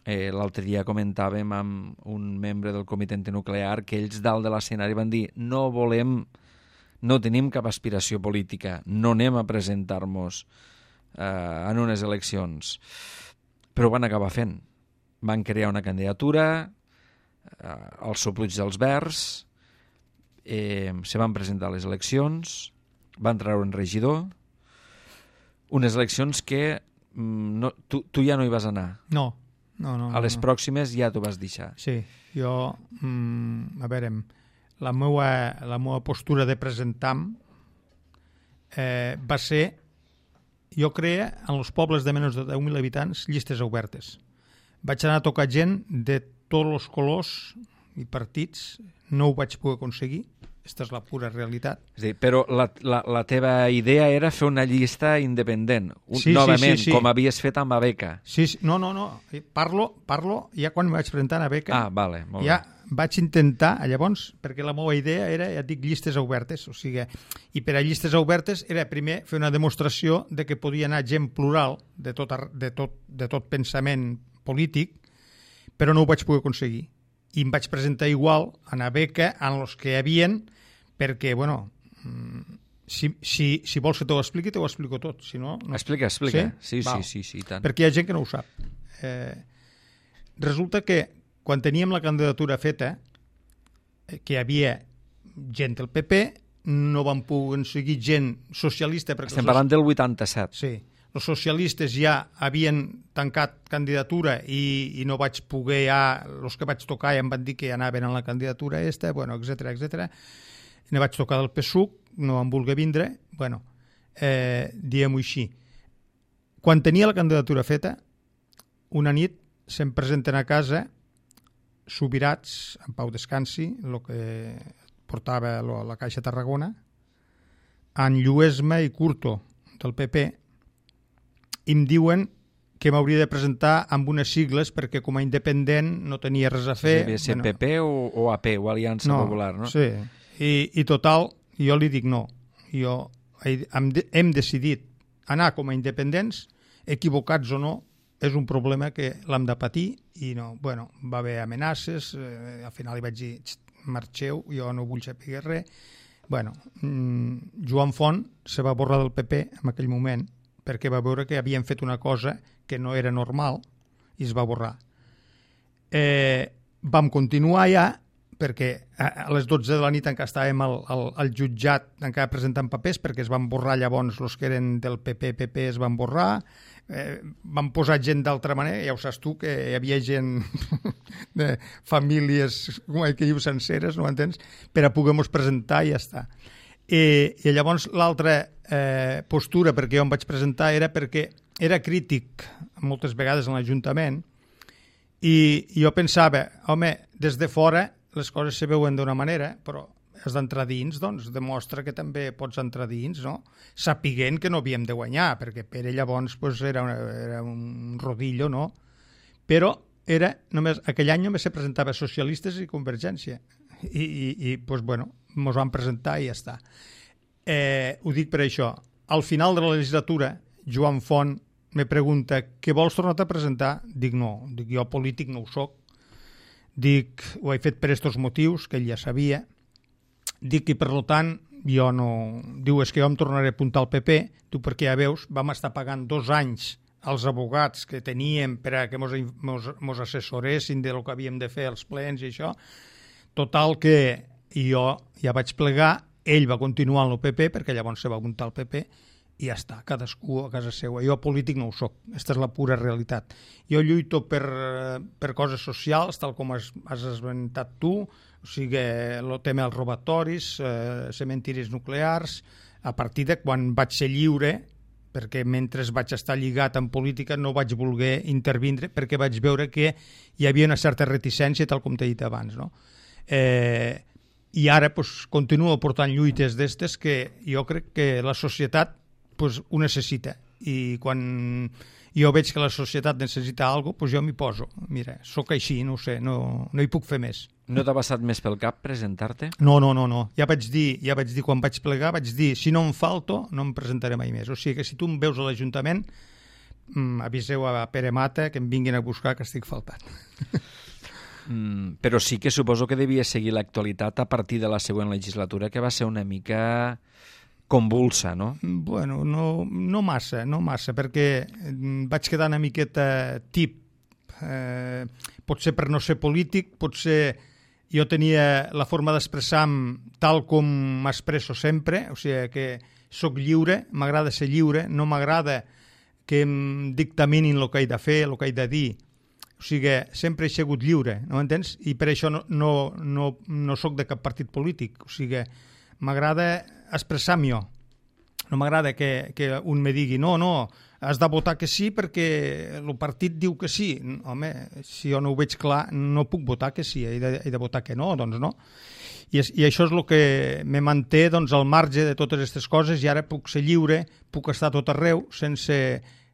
eh, l'altre dia comentàvem amb un membre del comitè antinuclear que ells dalt de l'escenari van dir no volem, no tenim cap aspiració política, no anem a presentar-nos eh, en unes eleccions. Però ho van acabar fent. Van crear una candidatura, eh, els sopluig dels Verds, eh, se van presentar a les eleccions, van treure un regidor, unes eleccions que mm, no, tu, tu ja no hi vas anar. No, no, no. A les no. pròximes ja t'ho vas deixar. Sí, jo, mm, a veure, la meua, la meua postura de presentar-me eh, va ser, jo creia, en els pobles de menys de deu mil habitants, llistes obertes. Vaig anar a tocar gent de tots els colors i partits, no ho vaig poder aconseguir, aquesta és la pura realitat. És a dir, però la, la, la teva idea era fer una llista independent, un, sí, novament, sí, sí, sí. com havies fet amb Abeca. Sí, sí, no, no, no, parlo, parlo ja quan em vaig presentar a Abeca. Ah, vale, molt ja bé. Vaig intentar, llavors, perquè la meva idea era, ja et dic, llistes obertes, o sigui, i per a llistes obertes era primer fer una demostració de que podia anar gent plural de tot, de tot, de tot pensament polític, però no ho vaig poder aconseguir. I em vaig presentar igual en Abeca, en els que hi havien, perquè, bueno, si, si, si vols que t'ho expliqui, t'ho explico tot. Si no, no... Explica, explica. Sí, sí, Val. sí, sí, sí, tant. Perquè hi ha gent que no ho sap. Eh, resulta que quan teníem la candidatura feta, eh, que hi havia gent del P P, no van poder seguir gent socialista. Estem parlant del vuitanta-set. Sí. Els socialistes ja havien tancat candidatura i, i no vaig poder, ja, els que vaig tocar ja em van dir que ja anaven a la candidatura esta, bueno, etcètera, etcètera. Ne vaig tocar del P S U C, no em volia vindre, bueno, eh, diguem-ho així. Quan tenia la candidatura feta, una nit se'm presenten a casa Subirats, en Pau Descansi, el que portava lo, la Caixa Tarragona, en Lluesma i Curto, del P P, i em diuen que m'hauria de presentar amb unes sigles perquè com a independent no tenia res a fer. Devia ser bueno, P P o, o A P, o Aliança no, Popular, no? Sí, I, i total, jo li dic no. Jo hem, hem decidit anar com a independents, equivocats o no, és un problema que l'hem de patir i no, bueno, va haver amenaces, eh, al final li vaig dir marxeu, jo no vull saber res. Bueno, mmm, Joan Font se va borrar del P P en aquell moment perquè va veure que havien fet una cosa que no era normal i es va borrar. Eh, vam continuar ja perquè a les dotze de la nit encara estàvem al, al, al jutjat encara presentant papers perquè es van borrar llavors els que eren del P P, P P es van borrar, eh, van posar gent d'altra manera, ja ho saps tu que hi havia gent de famílies com que diu senceres, no m'entens? Per a poder-nos presentar i ja està. I, i llavors l'altra eh, postura perquè jo em vaig presentar era perquè era crític moltes vegades en l'Ajuntament i, i jo pensava, home, des de fora les coses se veuen d'una manera, però has d'entrar dins, doncs demostra que també pots entrar dins, no? Sapiguent que no havíem de guanyar, perquè Pere llavors pues, era, una, era un rodillo, no? Però era només, aquell any només se presentava socialistes i Convergència. I, i, i pues, bueno, ens van presentar i ja està. Eh, ho dic per això. Al final de la legislatura, Joan Font me pregunta què vols tornar a presentar? Dic no, dic jo polític no ho soc. Dic, ho he fet per aquests motius, que ell ja sabia. Dic, i per tant, jo no... Diu, és que jo em tornaré a apuntar al P P. Diu, perquè ja veus, vam estar pagant dos anys als abogats que teníem per a que mos, mos, mos assessoressin de lo que havíem de fer als plens i això. Total que jo ja vaig plegar, ell va continuar en el P P, perquè llavors se va apuntar al P P, i ja està, cadascú a casa seva. Jo polític no ho soc, aquesta és la pura realitat. Jo lluito per, per coses socials, tal com has, has esmentat tu, o sigui, el tema dels robatoris, eh, cementiris nuclears, a partir de quan vaig ser lliure, perquè mentre vaig estar lligat en política no vaig voler intervindre, perquè vaig veure que hi havia una certa reticència, tal com t'he dit abans, no? Eh, i ara pues, continuo portant lluites d'estes que jo crec que la societat pues, ho necessita i quan jo veig que la societat necessita alguna cosa, pues jo m'hi poso. Mira, sóc així, no ho sé, no, no hi puc fer més. No t'ha passat més pel cap presentar-te? No, no, no, no. Ja vaig dir, ja vaig dir quan vaig plegar, vaig dir, si no em falto, no em presentaré mai més. O sigui que si tu em veus a l'Ajuntament, mm, aviseu a Pere Mata que em vinguin a buscar que estic faltant. Mm, però sí que suposo que devia seguir l'actualitat a partir de la següent legislatura, que va ser una mica convulsa, no? Bueno, no, no massa, no massa, perquè vaig quedar una miqueta tip. Eh, potser per no ser polític, potser jo tenia la forma d'expressar-me tal com m'expresso sempre, o sigui que sóc lliure, m'agrada ser lliure, no m'agrada que em dictaminin el que he de fer, el que he de dir. O sigui, sempre he sigut lliure, no m'entens? I per això no, no, no, no sóc de cap partit polític. O sigui, m'agrada expressar-me jo. No m'agrada que, que un me digui no, no, has de votar que sí perquè el partit diu que sí. Home, si jo no ho veig clar, no puc votar que sí, he de, he de votar que no, doncs no. I, és, i això és el que me manté doncs, al marge de totes aquestes coses i ara puc ser lliure, puc estar tot arreu sense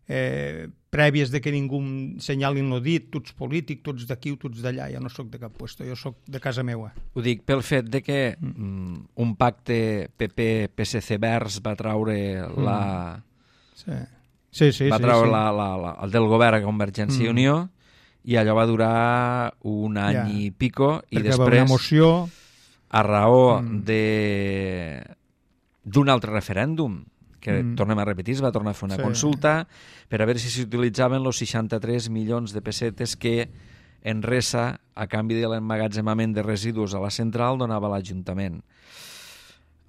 eh, prèvies de que ningú senyalin el dit, tu ets polític, tu ets d'aquí o tu ets d'allà, jo no sóc de cap puesto, jo sóc de casa meua. Ho dic pel fet de que mm, un pacte P P P S C Verds va traure la... Sí. Sí, sí, va sí, treure sí. La, la, la, el del govern a Convergència i Mm. Unió i allò va durar un any Ja. i pico i Perquè va haver després, una moció... a raó Mm. de d'un altre referèndum, que Mm. tornem a repetir, es va tornar a fer una Sí. consulta per a veure si s'utilitzaven els seixanta-tres milions de pessetes que Enresa, a canvi de l'emmagatzemament de residus a la central, donava a l'Ajuntament.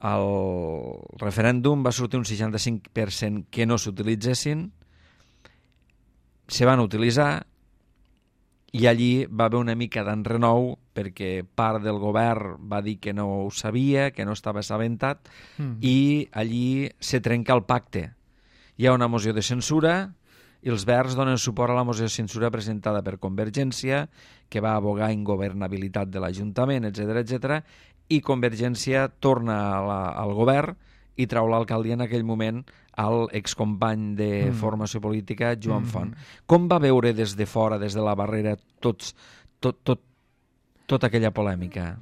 El referèndum va sortir un seixanta-cinc per cent que no s'utilitzessin, se van utilitzar i allí va haver una mica d'enrenou perquè part del govern va dir que no ho sabia, que no estava assabentat Mm. i allí se trenca el pacte. Hi ha una moció de censura i els Verds donen suport a la moció de censura presentada per Convergència, que va abogar ingovernabilitat de l'Ajuntament, etcètera, etcètera, i Convergència torna a la, al govern i trau l'alcaldia en aquell moment al excompany de Mm. formació política, Joan Mm. Font. Com va veure des de fora, des de la barrera, tots, tot, tot, tota aquella polèmica?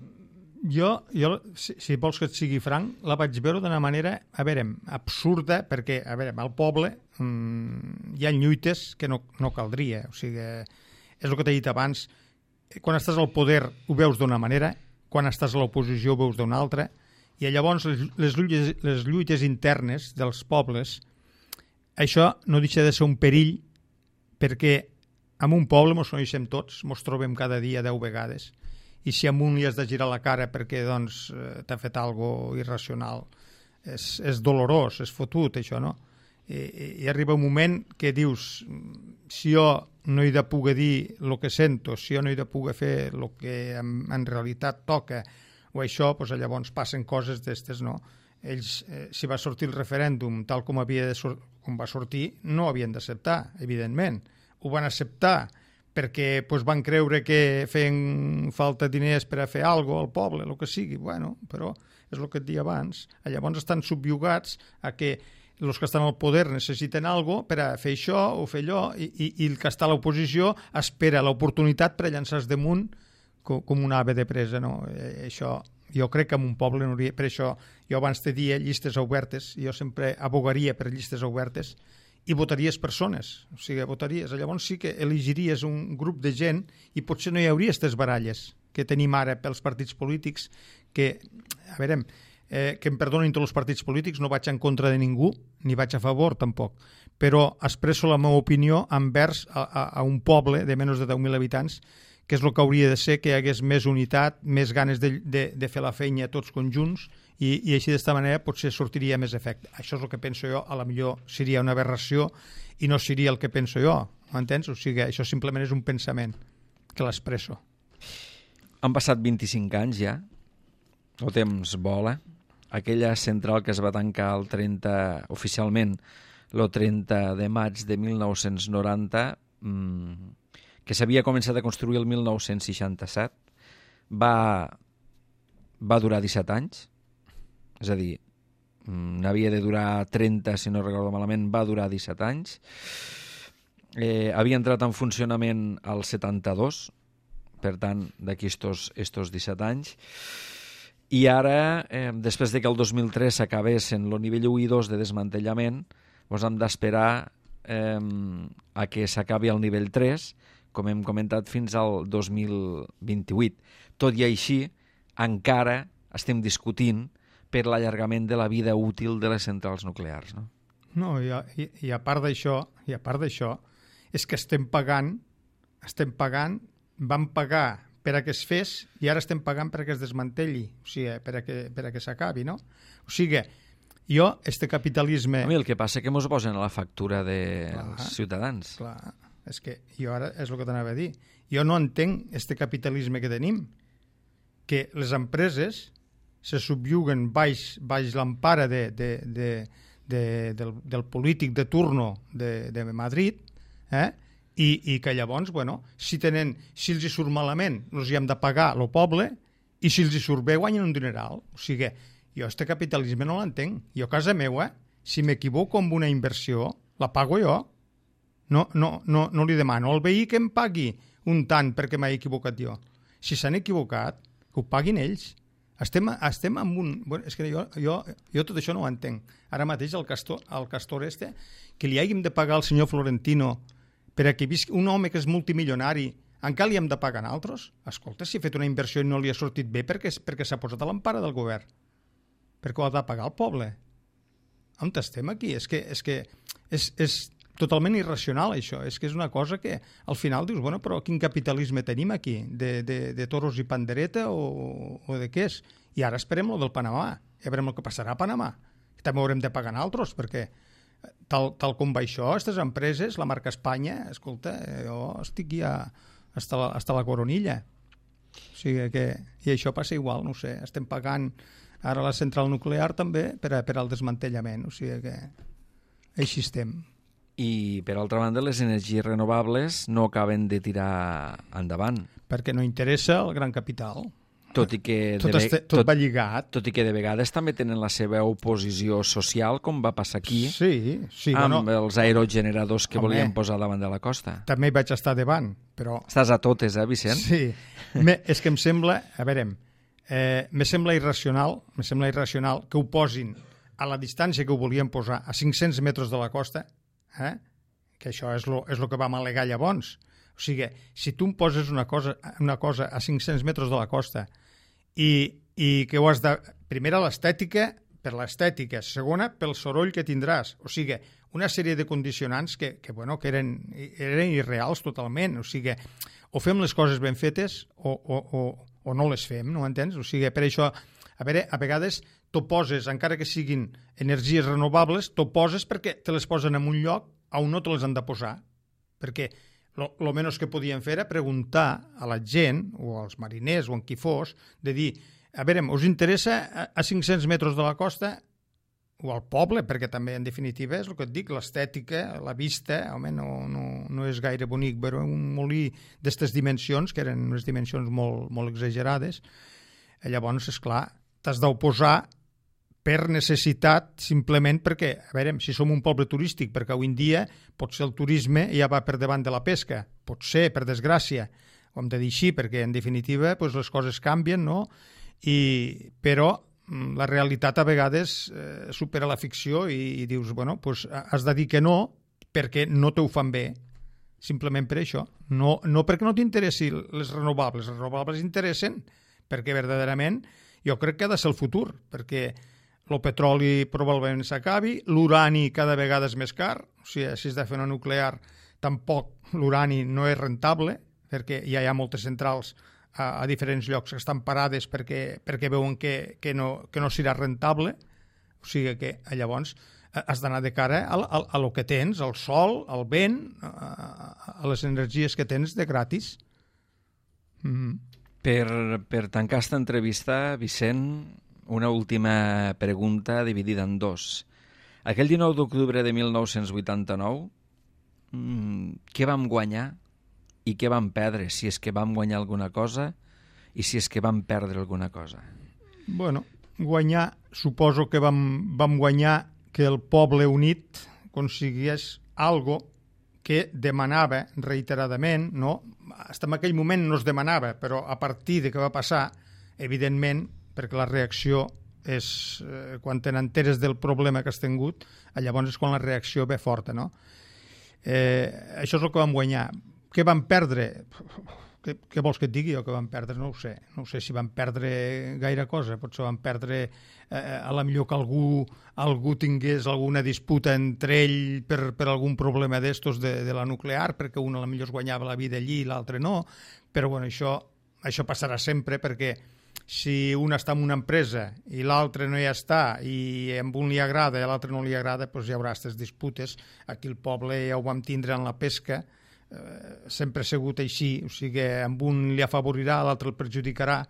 Jo, jo si, si vols que et sigui franc, la vaig veure d'una manera, a veure, absurda, perquè, a veure, al poble mmm, hi ha lluites que no, no caldria. O sigui, és el que t'he dit abans, quan estàs al poder ho veus d'una manera, quan estàs a l'oposició ho veus d'una altra, i llavors les, les, lluites, les lluites internes dels pobles, això no deixa de ser un perill, perquè en un poble mos coneixem tots, mos trobem cada dia deu vegades, i si a un li has de girar la cara perquè doncs, t'ha fet algo irracional, és, és dolorós, és fotut això, no? I, i arriba un moment que dius, si jo no he de poder dir el que sento, si jo no he de poder fer el que en, en realitat toca, o això, doncs llavors passen coses d'estes, no? Ells, eh, si va sortir el referèndum tal com, havia de sur- com va sortir, no havien d'acceptar, evidentment. Ho van acceptar perquè doncs, van creure que feien falta diners per a fer alguna cosa al poble, el que sigui. Bueno, però és el que et dia abans. Llavors estan subjugats a que els que estan al poder necessiten alguna cosa per a fer això o fer allò, i, i, i el que està a l'oposició espera l'oportunitat per a llançar-se damunt com, com una ave de presa, no? Eh, això, jo crec que en un poble no hauria... Per això jo abans te dia llistes obertes, jo sempre abogaria per llistes obertes i votaries persones, o sigui, votaries. Llavors sí que elegiries un grup de gent i potser no hi hauria aquestes baralles que tenim ara pels partits polítics, que, a veure, eh, que em perdonin tots els partits polítics, no vaig en contra de ningú, ni vaig a favor tampoc, però expresso la meva opinió envers a, a, a un poble de menys de deu mil habitants, que és el que hauria de ser, que hi hagués més unitat, més ganes de, de, de fer la feina tots conjunts, i, i així d'esta manera potser sortiria més efecte. Això és el que penso jo, a la millor seria una aberració i no seria el que penso jo, m'entens? O sigui, això simplement és un pensament que l'expresso. Han passat vint-i-cinc anys ja, el temps vola. Aquella central que es va tancar el trenta, oficialment el trenta de maig de mil nou-cents noranta, mmm, que s'havia començat a construir el mil nou-cents seixanta-set, va, va durar disset anys, és a dir, n'havia de durar trenta, si no recordo malament, va durar disset anys. Eh, havia entrat en funcionament al setanta-dos, per tant, d'aquí estos, estos disset anys. I ara, eh, després de que el dos mil tres s'acabés en el nivell u i dos de desmantellament, doncs hem d'esperar eh, a que s'acabi el nivell tres, com hem comentat, fins al dos mil vint-i-vuit. Tot i així, encara estem discutint per l'allargament de la vida útil de les centrals nuclears, no? No, i a, i, i a part d'això, i a part d'això, és que estem pagant, estem pagant, vam pagar per a que es fes i ara estem pagant per a que es desmantelli, o sigui, per a que, per a que s'acabi, no? O sigui, jo, este capitalisme... A mi el que passa és que mos posen a la factura dels clar, ciutadans. Clar, és que jo ara és el que t'anava a dir. Jo no entenc este capitalisme que tenim, que les empreses se subjuguen baix, baix l'empara de, de, de, de, del, del polític de turno de, de Madrid, eh? I, i que llavors, bueno, si, tenen, si els hi surt malament, els hi hem de pagar el poble, i si els hi surt bé, guanyen un dineral. O sigui, jo este capitalisme no l'entenc. Jo a casa meva, si m'equivoco amb una inversió, la pago jo. No, no, no, no li demano al veí que em pagui un tant perquè m'he equivocat jo. Si s'han equivocat, que ho paguin ells. Estem, estem amb un... Bueno, és que jo, jo, jo tot això no ho entenc. Ara mateix el castor, el castor este, que li hàgim de pagar al senyor Florentino per a que visqui un home que és multimilionari, encara li hem de pagar a altres? Escolta, si ha fet una inversió i no li ha sortit bé perquè, perquè s'ha posat a l'empara del govern. Perquè ho ha de pagar el poble. On estem aquí? És que és, que és, és totalment irracional, això. És que és una cosa que al final dius, bueno, però quin capitalisme tenim aquí? De, de, de toros i pandereta o, o de què és? I ara esperem lo del Panamà. Ja veurem el que passarà a Panamà. També haurem de pagar a altres, perquè tal, tal com va això, aquestes empreses, la marca Espanya, escolta, jo estic ja hasta la, hasta la coronilla. O sigui que... I això passa igual, no ho sé, estem pagant ara la central nuclear també per, a, per al desmantellament, o sigui que així estem. I, per altra banda, les energies renovables no acaben de tirar endavant. Perquè no interessa el gran capital. Tot i que tot, de, este, tot, tot va lligat. Tot i que de vegades també tenen la seva oposició social, com va passar aquí, sí, sí, amb bueno, els aerogeneradors que home, volien posar davant de la costa. També hi vaig estar davant, però... Estàs a totes, eh, Vicent? Sí. Me, és que em sembla... A veure, eh, me sembla irracional, me sembla irracional que ho posin a la distància que ho volien posar, a cinc-cents metres de la costa, eh? Que això és lo, és lo que vam al·legar llavors. O sigui, si tu em poses una cosa, una cosa a cinc-cents metres de la costa i, i que ho has de... Primera, l'estètica, per l'estètica. Segona, pel soroll que tindràs. O sigui, una sèrie de condicionants que, que, bueno, que eren, eren irreals totalment. O sigui, o fem les coses ben fetes o, o, o, o no les fem, no entens? O sigui, per això, a veure, a vegades t'ho poses, encara que siguin energies renovables, t'ho poses perquè te les posen en un lloc on no te les han de posar. Perquè el menys que podien fer era preguntar a la gent, o als mariners, o en qui fos, de dir, a veure, us interessa a cinc-cents metres de la costa o al poble, perquè també, en definitiva, és el que et dic, l'estètica, la vista, home, no, no, no és gaire bonic veure un molí d'aquestes dimensions, que eren unes dimensions molt, molt exagerades. Llavors, esclar, t'has d'oposar per necessitat, simplement perquè, a veure, si som un poble turístic, perquè avui en dia potser el turisme ja va per davant de la pesca, potser, per desgràcia, ho hem de dir així, perquè en definitiva doncs, les coses canvien, no? I, però la realitat a vegades eh, supera la ficció i, i dius, bueno, doncs has de dir que no perquè no te ho fan bé, simplement per això. No, no perquè no t'interessi les renovables, les renovables interessen perquè verdaderament jo crec que ha de ser el futur, perquè el petroli probablement s'acabi, l'urani cada vegada és més car, o sigui, si has de fer una nuclear, tampoc l'urani no és rentable, perquè ja hi ha moltes centrals a, a diferents llocs que estan parades perquè, perquè veuen que, que, no, que no serà rentable, o sigui que llavors has d'anar de cara a, a, a lo que tens, al sol, al vent, a, a les energies que tens de gratis. Mm-hmm. Per, per tancar aquesta entrevista, Vicent, una última pregunta dividida en dos. Aquell dinou d'octubre de mil nou-cents vuitanta-nou, mmm, què vam guanyar i què vam perdre? Si és que vam guanyar alguna cosa i si és que vam perdre alguna cosa. Bueno, guanyar, suposo que vam, vam guanyar que el poble unit aconseguís algo que demanava reiteradament, no? Fins en aquell moment no es demanava, però a partir de què va passar, evidentment, perquè la reacció és, eh, quan te n'enteres del problema que has tingut, llavors és quan la reacció ve forta, no? Eh, això és el que vam guanyar. Què vam perdre? Què, què vols que et digui? O que vam perdre? No ho sé. No ho sé si vam perdre gaire cosa. Potser vam perdre eh, a la millor que algú, algú tingués alguna disputa entre ell per, per algun problema d'estos de, de la nuclear, perquè un a la millor es guanyava la vida allí i l'altre no. Però bueno, això, això passarà sempre, perquè si un està en una empresa i l'altre no hi està i a un li agrada i a l'altre no li agrada, doncs hi haurà aquestes disputes. Aquí el poble ja ho vam tindre en la pesca, eh, sempre ha sigut així, o sigui, amb un li afavorirà, l'altre el perjudicarà,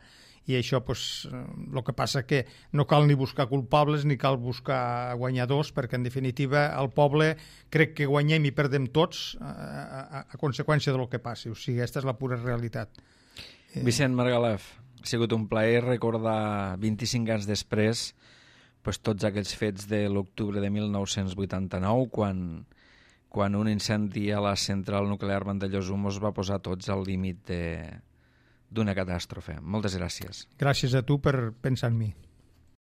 i això, doncs, el que passa que no cal ni buscar culpables ni cal buscar guanyadors, perquè en definitiva el poble crec que guanyem i perdem tots a, a, a conseqüència del que passi, o sigui, aquesta és la pura realitat. Vicent Margalef, ha sigut un plaer recordar vint-i-cinc anys després pues, tots aquells fets de l'octubre de mil nou-cents vuitanta-nou, quan, quan un incendi a la central nuclear Vandellòs-Humos va posar tots al límit d'una catàstrofe. Moltes gràcies. Gràcies a tu per pensar en mi.